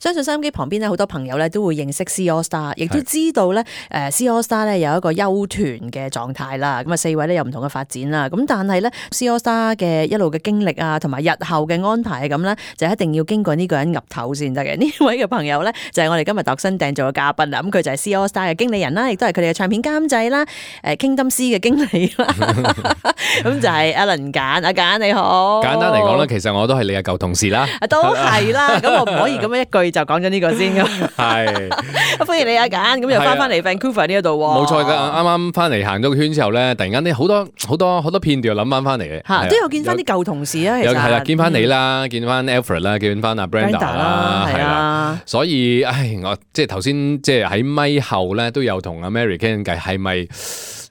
相信收音機旁邊咧，好多朋友咧都會認識 C AllStar， 亦都知道咧C AllStar 咧有一個休團嘅狀態啦。咁啊4位咧有唔同嘅發展啦。咁但係咧 C AllStar 嘅一路嘅經歷啊，同埋日後嘅安排咁咧，就一定要經過呢個人岌頭先得嘅。呢位嘅朋友咧就係我哋今日度身訂做嘅嘉賓啦。咁佢就係 C AllStar 嘅經理人啦，亦都係佢哋嘅唱片監製啦，Kingdom C 嘅經理啦。咁就係 Alan 簡，阿簡你好。簡單嚟講咧，其實我都係你嘅舊同事啦。都係啦，咁我唔可以咁樣一句就講咗呢個先噶。係，歡迎你阿簡，咁又翻嚟 Vancouver 呢一度喎。冇錯噶，啱啱翻嚟行咗個圈之後咧，突然間呢好多片段又諗翻嚟嘅。嚇，都有見翻啲舊同事啊，其實係啦，見翻你啦，見翻 Alfred 啦，見翻阿 Brenda 啦，係啦。所以，我即係頭先即係喺咪後咧，都有同阿 Mary 傾偈，係咪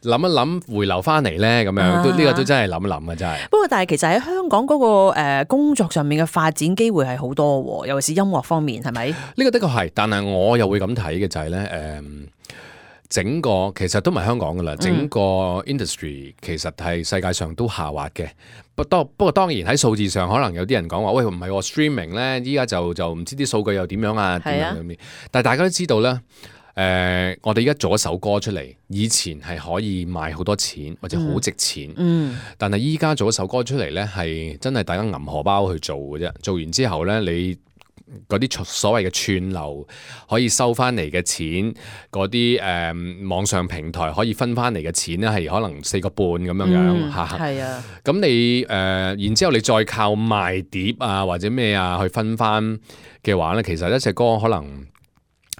諗一諗回流翻嚟咧？咁樣呢個都真係諗一諗啊，真係。不過，但係其實喺香港嗰個工作上面嘅發展機會係好多喎，尤其是音樂方面，係咪？呢個的確係，但係我又會咁睇嘅就係咧，整個其實都唔係香港噶啦，整個 industry 其實係世界上都下滑嘅。不過當然喺數字上，可能有啲人講話，喂唔係喎 streaming 咧，依家就唔知啲數據又點樣啊？點樣咁？但係大家都知道咧。我哋而家做一首歌出嚟，以前係可以賣好多錢或者好值錢，但係依家做一首歌出嚟呢，係真係大家揞荷包去做嘅啫。做完之後呢，你嗰啲所謂嘅串流可以收翻嚟嘅錢，嗰啲網上平台可以分翻嚟嘅錢呢，係可能4個半咁樣樣嚇。係啊，咁你然之後你再靠賣碟啊或者咩啊去分翻嘅話呢，其實一隻歌可能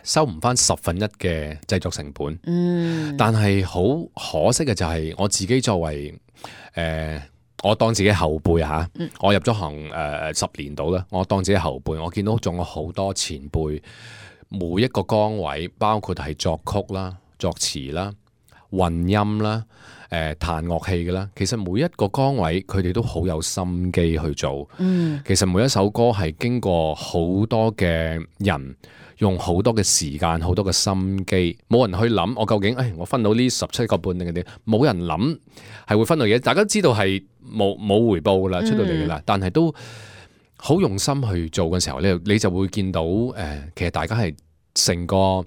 收唔翻1/10嘅製作成本，但係好可惜嘅就係我自己作為我當自己後輩嚇，我入咗行10年到啦，我當自己後輩，我見到仲有好多前輩，每一個崗位，包括係作曲啦、作詞啦、混音啦、彈樂器嘅啦，其實每一個崗位佢哋都好有心機去做。其實每一首歌係經過好多嘅人。用好多嘅時間，好多嘅心機，冇人去諗我究竟，我分到呢17個半定係點？冇人諗係會分到嘢，大家都知道係冇回報噶啦，出到嚟噶啦，但係都好用心去做嘅時候咧，你就會見到其實大家係成個業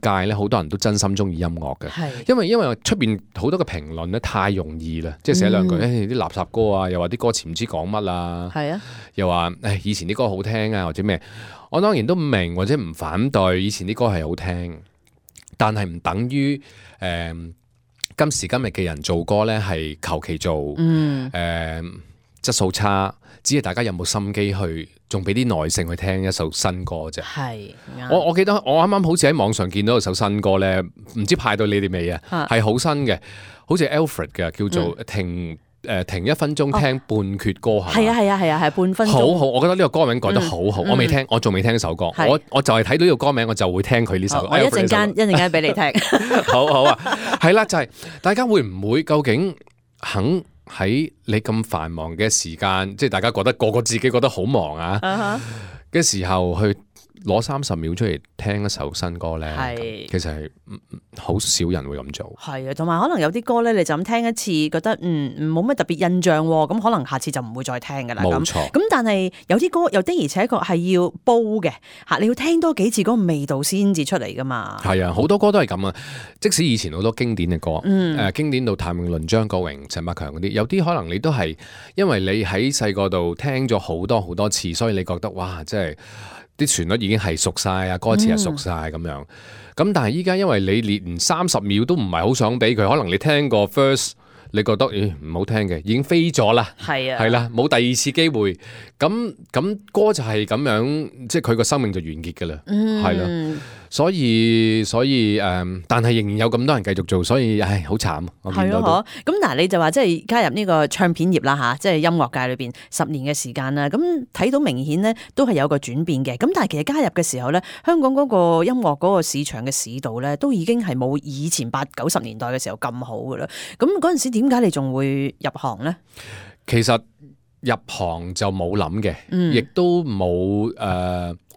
界咧，好多人都真心中意音樂嘅，因為出邊好多嘅評論咧太容易啦，即係寫兩句，啲垃圾歌啊，又話啲歌詞唔知講乜啊，又話以前啲歌好聽啊，或者咩。我當然都唔明或者唔反對以前啲歌係好聽，但係唔等於今時今日嘅人做歌咧係求其做，質素差，只係大家有冇心機去，仲俾啲耐性去聽一首新歌啫。我記得我啱啱好似喺網上見到一首新歌咧，唔知派到你哋未啊？係好新嘅，好似 Alfred 嘅，叫做停1分鐘聽半闕歌係半分鐘。好，我覺得呢個歌名改得好好，我仲未聽呢首歌，我就係睇到呢個歌名，我就會聽佢呢首。我一陣間俾你聽。好啊，係啦，就係大家會唔會究竟肯喺你咁繁忙嘅時間，即係大家覺得個個自己覺得好忙啊嘅時候去攞30秒出嚟聽一首新歌咧，其實係好少人會咁做。係啊，同埋可能有啲歌咧，你就咁聽一次，覺得冇乜特別印象喎，咁可能下次就唔會再聽噶啦。冇錯。咁但係有啲歌又的而且確係要煲嘅嚇，你要聽多幾次嗰個味道先至出嚟噶嘛。係啊，好多歌都係咁啊。即使以前好多經典嘅歌，經典到譚詠麟、張國榮、陳百強嗰啲，有啲可能你都係因為你喺細個度聽咗好多好多次，所以你覺得哇，即係啲旋律已經係熟晒啊，歌詞係熟晒咁樣。咁但係依家因為你連30秒都唔係好想俾佢，可能你聽個 first， 你覺得唔好聽嘅，已經飛咗啦。係啦，冇第二次機會。咁歌就係咁樣，即係佢個生命就完結㗎啦。係啦。所以但係仍然有咁多人繼續做，所以好慘。我見到都咁嗱，你就話即係加入呢個唱片業啦嚇，即係音樂界裏邊10年嘅時間啦。咁睇到明顯咧都係有個轉變嘅。咁但係其實加入嘅時候咧，香港嗰個音樂嗰個市場嘅市道咧，都已經係冇以前80、90年代嘅時候咁好噶啦。咁嗰陣時點解你仲會入行咧？其實入行就冇諗嘅，亦都冇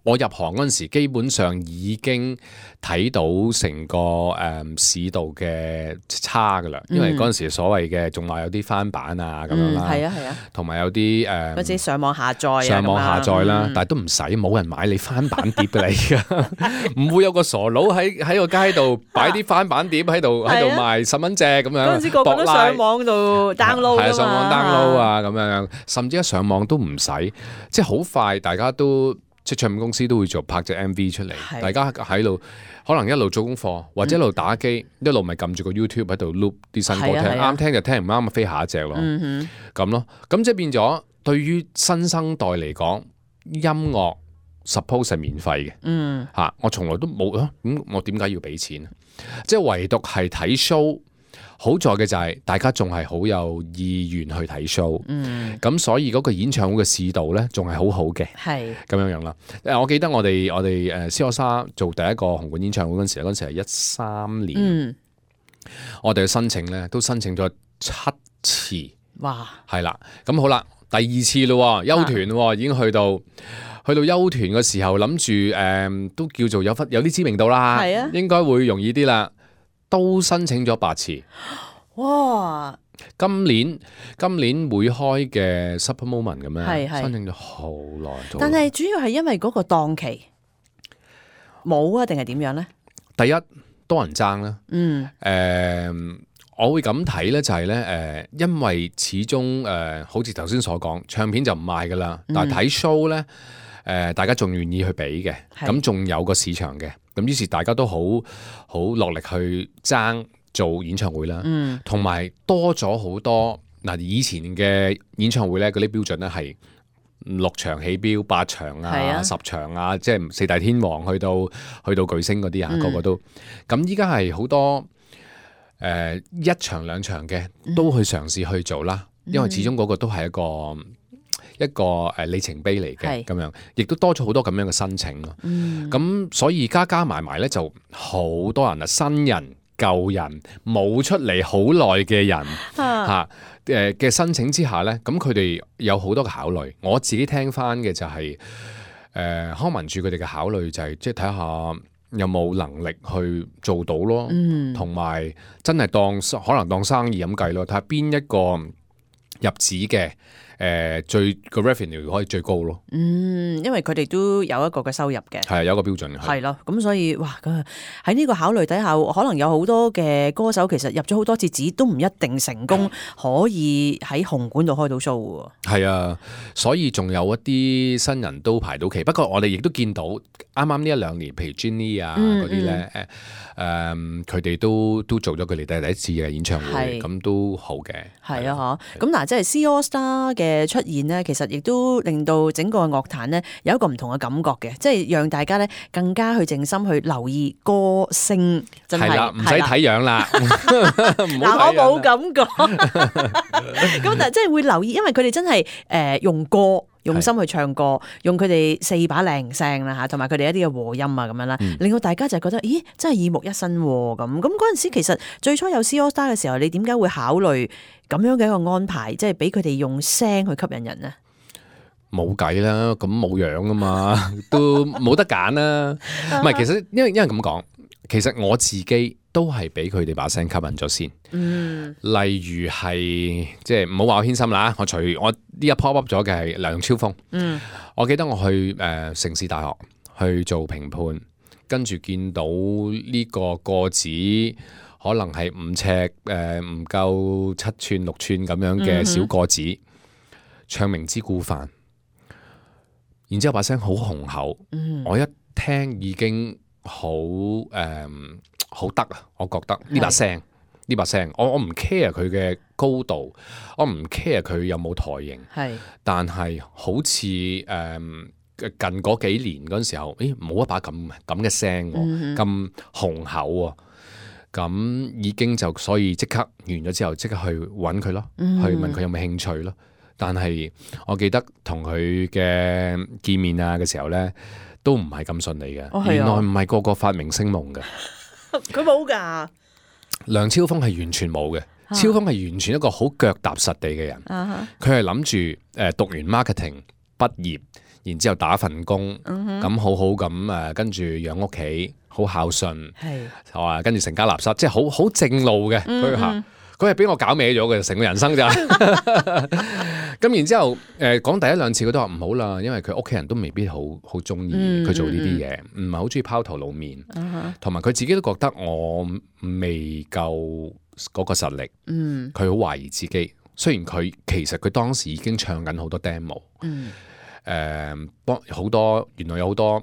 我入行嗰陣時，基本上已經睇到成個市道嘅差噶啦，因為嗰陣時所謂嘅仲話有啲翻版啊咁樣啦，係啊，同埋有啲或者上網下載啊，上網下載啦，但係都唔使，冇人買你翻版碟㗎啦，而家唔會有個傻佬喺個街度擺啲翻版碟喺度賣10蚊隻咁樣。嗰陣時個個都上網度 download 㗎嘛，係上網 download 啊咁樣，甚至一上網都唔使，即係好快，大家都。即係唱片公司都會做拍隻 MV 出嚟，大家喺度可能一路做功課，或者一路打機，一路咪撳住個 YouTube 喺度 loop 啲新歌聽，啱聽就聽，唔啱咪飛下一隻咯，咁咯。咁即係變咗，對於新生代嚟講，音樂 suppose 係免費嘅，嚇我從來都冇啊，咁我點解要俾錢啊？即係唯獨係睇 show。好在嘅就係大家仲係好有意願去睇 show，咁所以嗰個演唱會嘅市道咧仲係好好嘅，係咁樣樣啦。我記得我哋C AllStar 做第一個紅館演唱會嗰陣時係13年，我哋嘅申請咧都申請咗7次，哇，係啦，咁好啦，第2次咯，休團咯，已經去到休團嘅時候，諗住都叫做有啲知名度啦，係啊，應該會容易啲啦。都申請咗8次，哇！今年會開嘅 Super Moment 咁樣，申請咗好耐。但係主要係因為嗰個檔期冇啊，定係點樣咧？第一多人爭啦，我會咁睇咧，就係咧，因為始終好似頭先所講，唱片就唔賣噶啦，但係睇 show 咧，大家仲願意去俾嘅，咁仲有個市場嘅。咁於是大家都好落力去爭做演唱會啦，同埋多咗好多嗱，以前嘅演唱會咧嗰啲標準咧係6場起標、8場啊、10場啊，即係四大天王去到巨星嗰啲啊，個個都咁。依家係好多1場2場嘅都去嘗試去做啦，因為始終嗰個都係一個里程碑嚟嘅，咁樣亦都多咗好多咁樣嘅申請咯。咁所以加埋咧就好多人啊，新人舊人冇出嚟好耐嘅人嚇嘅申請之下咧，咁佢哋有好多嘅考慮。我自己聽翻嘅就係康文署佢哋嘅考慮就係即係睇下有冇能力去做到咯，同埋真係可能當生意咁計咯，睇下邊一個入紙嘅。最個 revenue 可以最高咯，因為佢哋都有一個嘅收入嘅，係有一個標準嘅，係咯，咁所以哇，喺呢個考慮底下，可能有好多嘅歌手其實入咗好多次紙都唔一定成功，可以喺紅館度開到 show 喎。係啊，所以仲有一啲新人都排到期，不過我哋亦都見到啱啱呢1-2年，譬如 Jenny 啊嗰啲咧，佢哋都做咗佢哋第一次嘅演唱會，咁都好嘅。係啊，咁嗱，即係 C AllStar 嘅出現呢，其實亦都令到整個樂壇呢有一個唔同嘅感覺嘅，即係讓大家呢更加去靜心去留意歌聲，真係啦，唔使睇樣啦。嗱，我冇咁講，咁但係即係會留意，因為佢哋真係用心去唱歌，用佢哋4把靚聲啦嚇，同埋佢哋一啲嘅和音啊咁樣啦，令到大家就覺得，咦，真係耳目一新喎咁。咁嗰陣時其實最初有 C AllStar 嘅時候，你點解會考慮咁樣嘅一個安排，即係俾佢哋用聲去吸引人呢？冇計啦，咁冇樣啊嘛，都冇得揀啦。唔係，其實因為咁講，其實我自己都係俾佢哋把聲吸引咗先。例如係即係唔好話我偏心啦，我呢一 pop up 咗嘅係梁超峰。我記得我去城市大學去做評判，跟住見到呢個個子可能係5尺唔夠7寸6寸咁樣嘅小個子，唱明知故犯。然之後把聲好雄厚，我一聽已經好得啊！我覺得呢把聲，我唔 care 佢嘅高度，我唔 care 佢有冇台型，但係好似近嗰幾年嗰陣時候，冇一把咁嘅聲，咁雄厚喎，咁已經就所以即刻完咗之後，即刻去揾佢咯，去問佢有冇興趣咯。但係我記得同佢嘅見面啊嘅時候咧，都唔係咁順利嘅。原來唔係個個發明星夢嘅，佢冇㗎。梁超峰係完全冇嘅，超峰係完全一個好腳踏實地嘅人。佢係諗住讀完 marketing 畢業，然之後打份工，咁好好咁跟住養屋企，好孝順，係跟住成家立室，即係好正路嘅佢嚇。佢係俾我搞歪咗嘅，成個人生就咁。然之後講第一兩次佢都話唔好啦，因為佢屋企人都未必好中意佢做呢啲嘢，唔係好中意拋頭露面，同埋佢自己都覺得我未夠嗰個實力，佢好懷疑自己。雖然其實佢當時已經唱緊好多 demo，好多原來有好多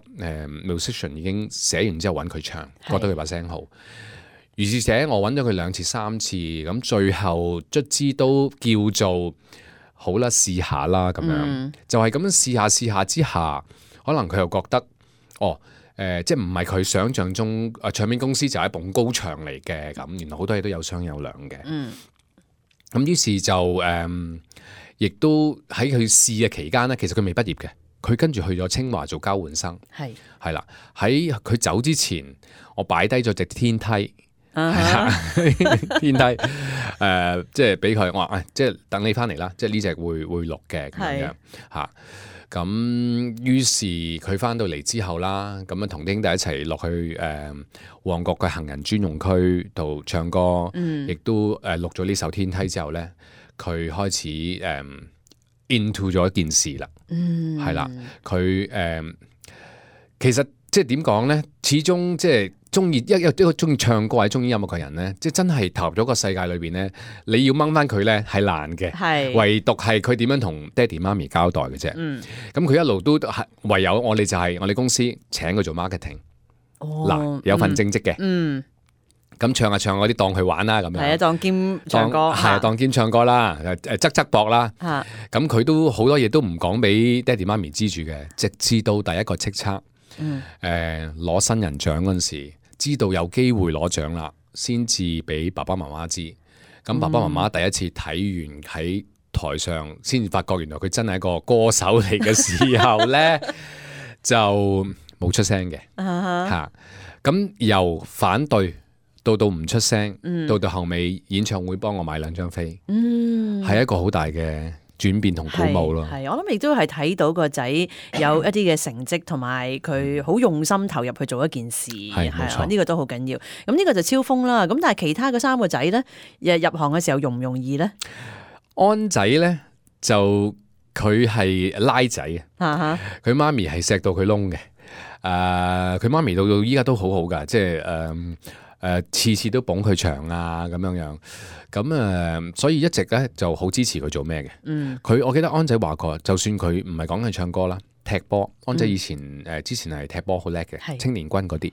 musician 已經寫完之後揾佢唱，覺得佢把聲好。如是者我揾咗佢2次3次，咁最後卒之都叫做好啦，試下啦咁樣，就係咁樣試下之下，可能佢又覺得即係唔係佢想象中唱片公司就係一埲高牆嚟嘅咁，原來好多嘢都有商有量嘅。咁於是就亦都喺佢試嘅期間咧，其實佢未畢業嘅，佢跟住去咗清華做交換生，係啦。喺佢走之前，我擺低咗隻天梯。天梯即係俾佢，我話即係等你翻嚟啦，即係呢隻會錄嘅咁樣嚇。咁於是佢翻到嚟之後啦，咁啊同啲兄弟一齊落去旺角嘅行人專用區度唱歌，亦都錄咗呢首天梯之後咧，佢開始into 咗一件事啦，係啦，佢其實即係點講咧，始終即係。中意一個中意唱歌或者中意音樂嘅人咧，即係真係投入咗個世界裏邊咧，你要掹翻佢咧係難嘅，唯獨係佢點樣同爹哋媽咪交代嘅啫。咁佢一路都係唯有我哋就係我哋公司請佢做 marketing，嗱有份正職嘅，咁唱下唱嗰啲當佢玩啦咁樣，當兼唱歌，當兼唱歌啦，側膊啦，咁佢都好多嘢都唔講俾爹哋媽咪知住嘅，直至到第一個叱咤，攞新人獎嗰陣時。知道有機會攞獎啦，先至俾爸爸媽媽知。咁爸爸媽媽第一次睇完喺台上，先至發覺原來佢真係一個歌手嚟嘅時候咧，就冇出聲嘅嚇。咁由反對到唔出聲，到後尾演唱會幫我買2張飛，係一個好大嘅轉變同鼓舞咯，係我諗亦都係睇到個仔有一啲嘅成績，同埋佢好用心投入去做一件事，係啊，呢個都好緊要。咁呢個就超鋒啦。咁但係其他嘅3個仔咧，入行嘅時候容唔容易咧？安仔咧就佢係拉仔啊，佢媽咪係錫到佢窿嘅。佢媽咪到依家都好好噶，即係次次都捧佢場啊咁樣。咁所以一直咧就好支持佢做咩嘅。我記得安仔話過，就算佢唔係講緊唱歌啦，踢波，安仔以前之前係踢波好叻嘅，青年軍嗰啲，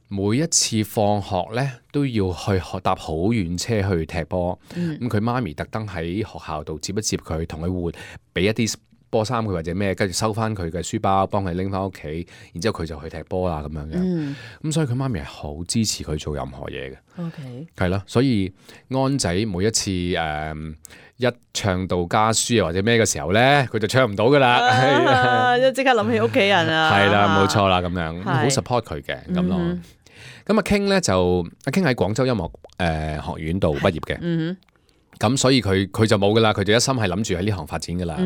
每一次放學咧都要去搭好遠車去踢波。咁佢媽咪特登喺學校度接一接佢，同佢換，俾一啲波衫佢或者咩，跟住收翻佢嘅書包，幫佢拎翻屋企，然之後佢就去踢波啦咁樣嘅。咁所以佢媽咪係好支持佢做任何嘢嘅。係咯，所以安仔每一次一唱到家書啊或者咩嘅時候咧，佢就唱唔到噶啦，即刻諗起屋企人啊。係啦，冇錯啦，咁樣好 support 佢嘅咁咯。咁阿 King 咧就阿 King 喺廣州音樂學院度畢業嘅。咁所以佢就冇噶啦，佢就一心係諗住喺呢行發展噶啦。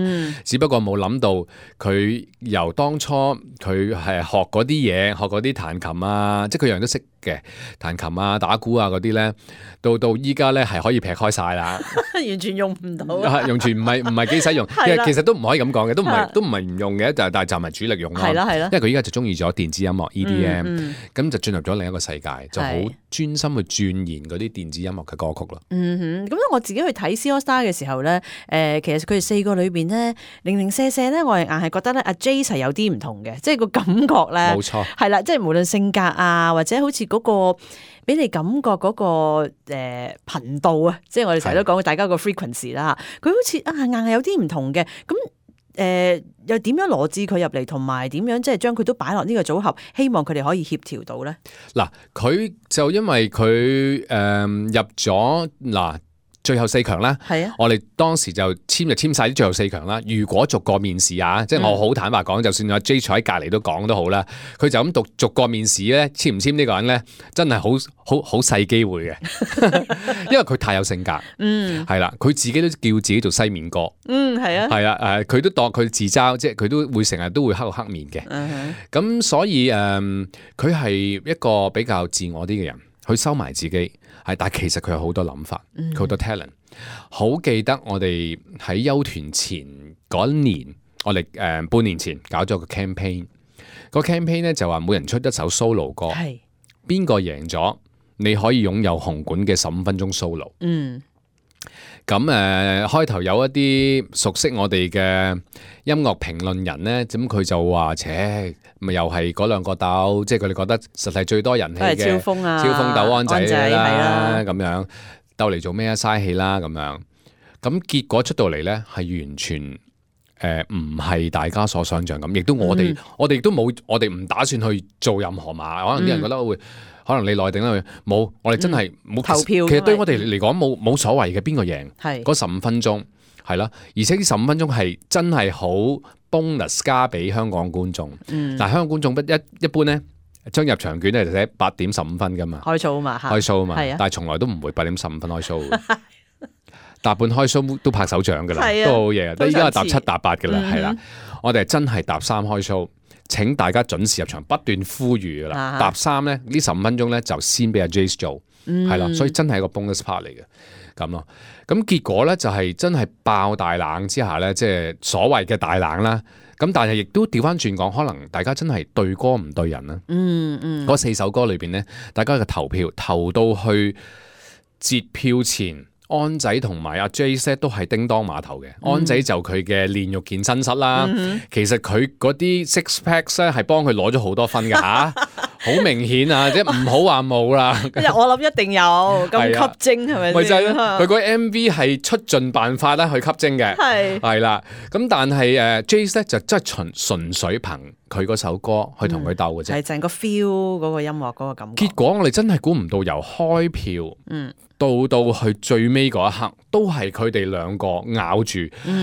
只不過冇諗到佢由當初佢係學嗰啲嘢，學嗰啲彈琴啊，即係佢樣樣都識嘅，彈琴啊、打鼓啊嗰啲咧，到依家咧係可以劈開晒啦，完全用唔到，完全唔係幾使用。其實都唔可以咁講嘅，都唔係唔用嘅，但係就唔係主力用咯。係啦，因為佢依家就中意咗電子音樂 EDM，咁就進入咗另一個世界，就好專心去鑽研嗰啲電子音樂嘅歌曲咯。咁我自己去睇 C AllStar 嘅時候咧，其實佢哋4個裏邊咧，零零舍舍咧，我係硬係覺得咧，阿 Jace 係有啲唔同嘅，即係個感覺咧，冇錯，係啦，即係無論性格啊，或者好似嗰個俾你感覺嗰個頻道啊，即係我哋成日都講大家個 frequency 啦，佢好似硬係有啲唔同嘅，咁又點樣羅致佢入嚟，同埋點樣即係將佢都擺落呢個組合，希望佢哋可以協調到咧？嗱，佢就因為佢入咗嗱。最後4強啦。係啊，我哋當時就簽晒啲最後4強啦。如果逐個面試啊，即係我好坦白講，就算阿 J 坐喺隔離都講都好啦，佢就咁逐個面試咧，簽唔簽呢個人咧，真係好細機會嘅，因為佢太有性格。係啦，佢自己都叫自己做西面哥。係啊，係啊，佢都當佢自嘲，即係佢都會成日都會黑面嘅。咁所以佢係一個比較自我啲嘅人，佢收埋自己，但係其實佢有好多諗法，佢好多 talent。好記得我哋喺休團前嗰一年，我哋半年前搞咗個 campaign，個 campaign 咧就話每人出一首 solo 歌，邊個贏咗，你可以擁有紅館嘅15分鐘 solo。咁開頭有一啲熟悉我哋嘅音樂評論人咧，咁佢就話：咪又係嗰兩個鬥，即係佢哋覺得實係最多人氣嘅超風鬥安仔啦，係咁樣鬥嚟做咩啊？嘥氣啦咁樣。咁結果出到嚟咧，係完全唔係大家所想象咁，亦都我哋亦都冇，我哋唔打算去做任何馬。可能啲人覺得會。可能你內定啦，冇，我哋真係冇投票。其實對我哋嚟講冇所謂嘅，邊個贏嗰係15分鐘係啦，而且呢15分鐘係真係好 bonus 加俾香港觀眾。但係香港觀眾一般咧，張入場券咧就寫8點15分噶嘛，開 show 嘛，開 show 嘛，係啊，但係從來都唔會8點15分開 show，搭半開 show 都拍手掌噶啦，係啊都好嘢。但係依家係搭7搭8噶啦，係啦，嗯我哋係真係搭3開 show。請大家準時入場，不斷呼籲噶啦。搭3咧，呢15分鐘咧就先俾阿 Jace 做，係啦，所以真係一個 bonus part 嚟嘅咁咯。咁結果咧就係真係爆大冷之下咧，即係所謂嘅大冷啦。咁但係亦都調翻轉講，可能大家真係對歌唔對人啦。嗰4首歌裏邊咧，大家嘅投票投到去截票前。安仔同埋阿 Jace 都係叮當碼頭嘅，安仔就佢嘅練肉健身室啦。其實佢嗰啲 six packs 咧係幫佢攞咗好多分㗎吓，好明顯啊！即係唔好話冇啦。我諗一定有咁吸睛係咪先？咪就係咯，佢嗰 MV 係出盡辦法啦去吸睛嘅，係啦。咁但係Jace 咧就真係純粹憑佢嗰首歌去同佢鬥嘅啫，係淨個 feel 嗰個音樂嗰個感覺。結果我哋真係估唔到由開票，到去最尾嗰一刻，都係佢哋兩個咬住，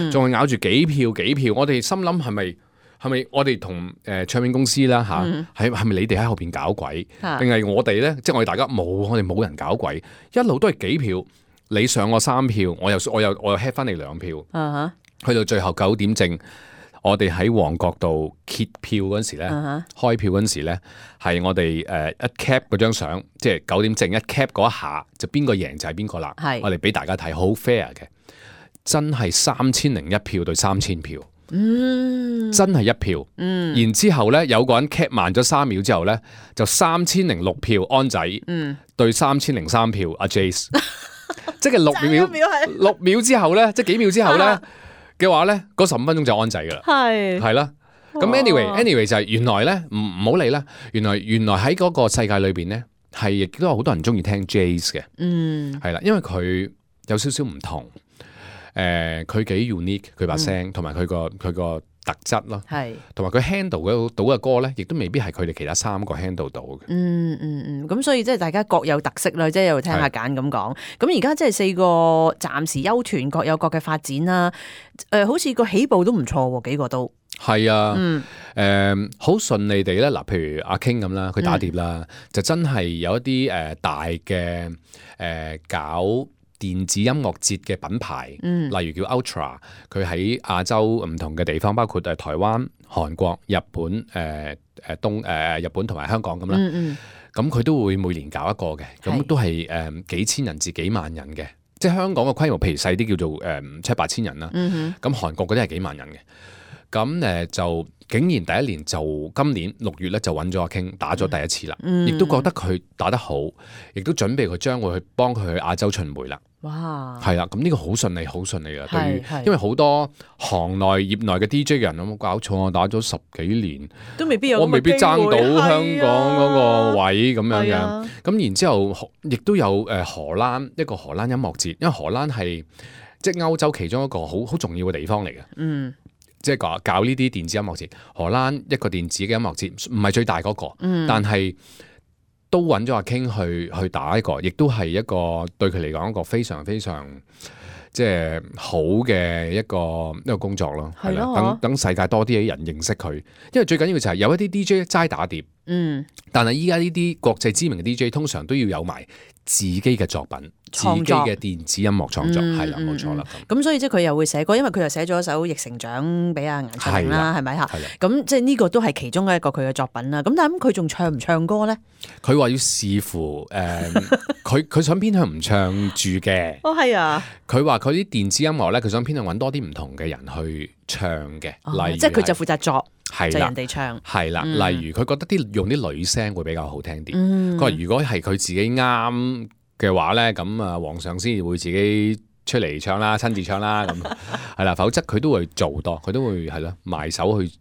仲係咬住幾票。我哋心諗係咪我哋同唱片公司啦嚇，係咪你哋喺後邊搞鬼，定係我哋咧？即係我哋大家我哋冇人搞鬼，一路都係幾票，你上我3票，我又 head 翻你2票，去到最後9點正。我哋喺旺角度揭票嗰陣時咧，開票嗰陣時咧，係我哋一 cap 嗰張相，即係9點正一 cap 嗰一下，就邊個贏就係邊個啦。我哋俾大家睇，好 fair 嘅，真係3001票對3000票，真係1票。然之後咧，有個人 cap 慢咗3秒之後咧，就3006票安仔，對3003票阿 Jace，即係6秒之後咧，即係幾秒之後咧。嘅話咧，嗰15分鐘就安仔噶啦，係啦。咁 anyway 就係原來咧，唔好理啦。原來喺嗰個世界裏邊咧，係亦都有好多人中意聽 Jace 嘅，係啦，因為佢有少少唔同，佢幾 unique 佢把聲，同埋佢個特質咯，同埋佢 handle 到嘅歌咧，亦都未必係佢哋其他3個 handle 到嘅。咁所以即係大家各有特色啦，即係又聽下揀咁講。咁而家即係4個暫時休團，各有各嘅發展啦。好似個起步都唔錯喎，幾個都係啊。好順利地咧。嗱，譬如阿 King 咁啦，佢打碟啦，就真係有一啲大嘅搞電子音樂節嘅品牌，例如叫 Ultra， 佢喺亞洲唔同嘅地方，包括台灣、韓國、日本、日本同埋香港咁啦。咁佢都會每年搞一個嘅，咁都係幾千人至幾萬人嘅。即係香港嘅規模，譬如細啲叫做7-8千人啦。咁韓國嗰啲係幾萬人嘅。咁就竟然第一年就今年6月咧就揾咗阿 King 打咗第一次啦，亦都覺得佢打得好，亦都準備佢將會去幫佢去亞洲巡迴啦。哇！係啦，咁呢個好順利啊！對於因為好多行內業內嘅 DJ 人有冇搞錯啊？打咗10幾年都未必有，我未必爭到香港嗰個位咁樣嘅。咁然之後亦都有荷蘭一個荷蘭音樂節，因為荷蘭係即係歐洲其中一個好重要嘅地方嚟嘅。即係搞呢啲電子音樂節，荷蘭一個電子嘅音樂節唔係最大嗰個，但係都揾咗阿 King 去打一個，亦都係一個對佢嚟講一個非常非常即係好嘅一個工作咯。係啦，等世界多啲嘅人認識佢，因為最緊要就係有一啲 DJ 齋打碟，但係依家呢啲國際知名嘅 DJ 通常都要有埋自己嘅作品。自己嘅電子音樂創作係啦，冇錯啦。咁所以即係佢又會寫歌，因為佢又寫咗一首《逆成長》俾阿顏卓靈啦，係咪嚇？咁即係呢個都係其中一個佢嘅作品啦。咁但係佢仲唱唔唱歌咧？佢話要視乎佢想偏向唔唱住嘅。哦，係啊。佢話佢啲電子音樂咧，佢想偏向揾多啲唔同嘅人去唱嘅，例如即係佢就負責作，就人哋唱。係啦，例如佢覺得用啲女聲會比較好聽啲。佢話如果係佢自己啱嘅話咧，咁啊皇上先會自己出嚟唱啦，親自唱啦，咁係啦，否則佢都會做多，佢都會係咯埋手去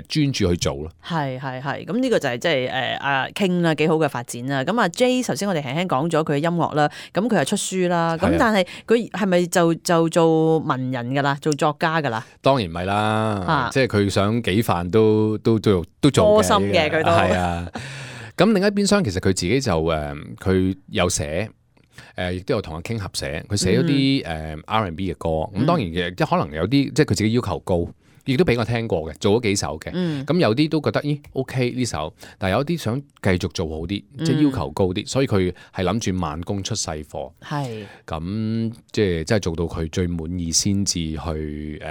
專注去做咯。係，咁呢個就係即係阿 King 啦，幾好嘅發展啦。咁阿 J 頭先我哋輕輕講咗佢嘅音樂啦，咁佢又出書啦，咁但係佢係咪就做文人噶啦，做作家噶啦？當然唔係啦，即係佢想幾範都做多心嘅，佢都係啊。咁另一邊廂其實佢自己就佢有寫。亦都有同阿 King 合寫，佢寫咗啲R&B 嘅歌，咁當然嘅，即係可能有啲即係佢自己要求高，亦都俾我聽過嘅，做咗幾首嘅，咁有啲都覺得OK 呢首，但係有啲想繼續做好啲，即係要求高啲，所以佢係諗住慢工出細貨，咁即係做到佢最滿意先至去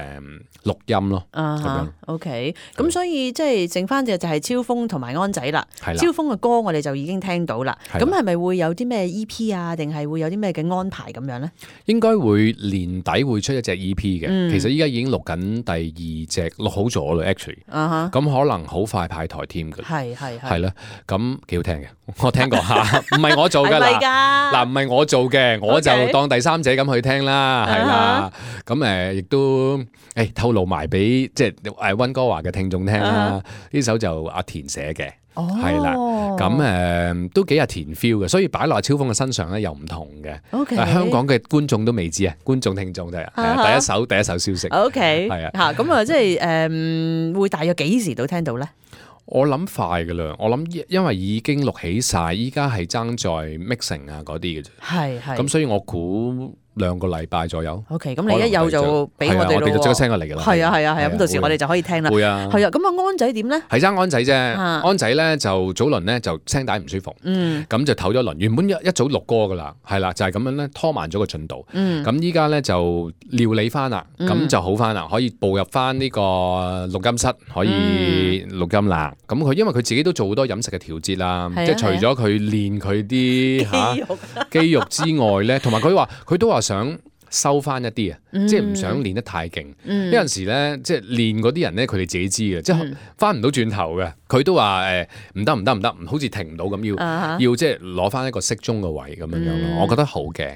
錄音咯，咁樣。OK， 咁所以即係剩翻嘅就係超風同埋安仔啦。超風嘅歌我哋就已經聽到啦，咁係咪會有啲咩 EP 啊，定係會有啲咩嘅安排咁樣咧？應該會年底會出一隻 EP 嘅，其實依家已經錄緊第二隻，錄好咗啦 actually，咁可能好快派台添㗎。係啦，咁幾好聽嘅，我聽過下，唔係我做㗎啦，嗱唔係我做嘅，我就當第三者咁去聽啦，係啦，咁亦都透露埋俾即係溫哥華嘅聽眾聽啦，呢首就阿田寫嘅。係啦，咁都幾有田 feel 嘅，所以擺落阿超風嘅身上咧又唔同嘅。但香港嘅觀眾都未知啊，觀眾聽眾都係第一手消息。係啊，咁啊，即係會大約幾時到聽到咧？我諗快噶啦，我諗因為已經錄起晒，依家係爭在 mixing 啊嗰啲嘅啫。咁所以我估2個禮拜左右。OK， 咁你一有就俾我哋咯。我哋就即刻 send 過嚟㗎啦。係啊，咁到時我哋就可以聽啦。會啊。係啊，咁啊安仔點咧？係爭安仔啫。安仔咧就早輪咧就聲帶唔舒服，咁就唞咗輪。原本一早錄歌㗎啦，係啦，就係咁樣咧拖慢咗個進度。咁依家咧就料理翻啦，咁就好翻啦，可以步入翻呢個錄音室，可以錄音啦。咁佢因為佢自己都做好多飲食嘅調節啦，即係除咗佢練佢啲肌肉之外咧，同埋佢都話想收翻一啲啊，即係唔想練得太勁。有陣時咧，即係練嗰啲人咧，佢哋自己知嘅，即係翻唔到轉頭嘅。佢都話唔得，好似停唔到咁，要即係攞翻一個適中嘅位咁樣樣咯。我覺得好嘅。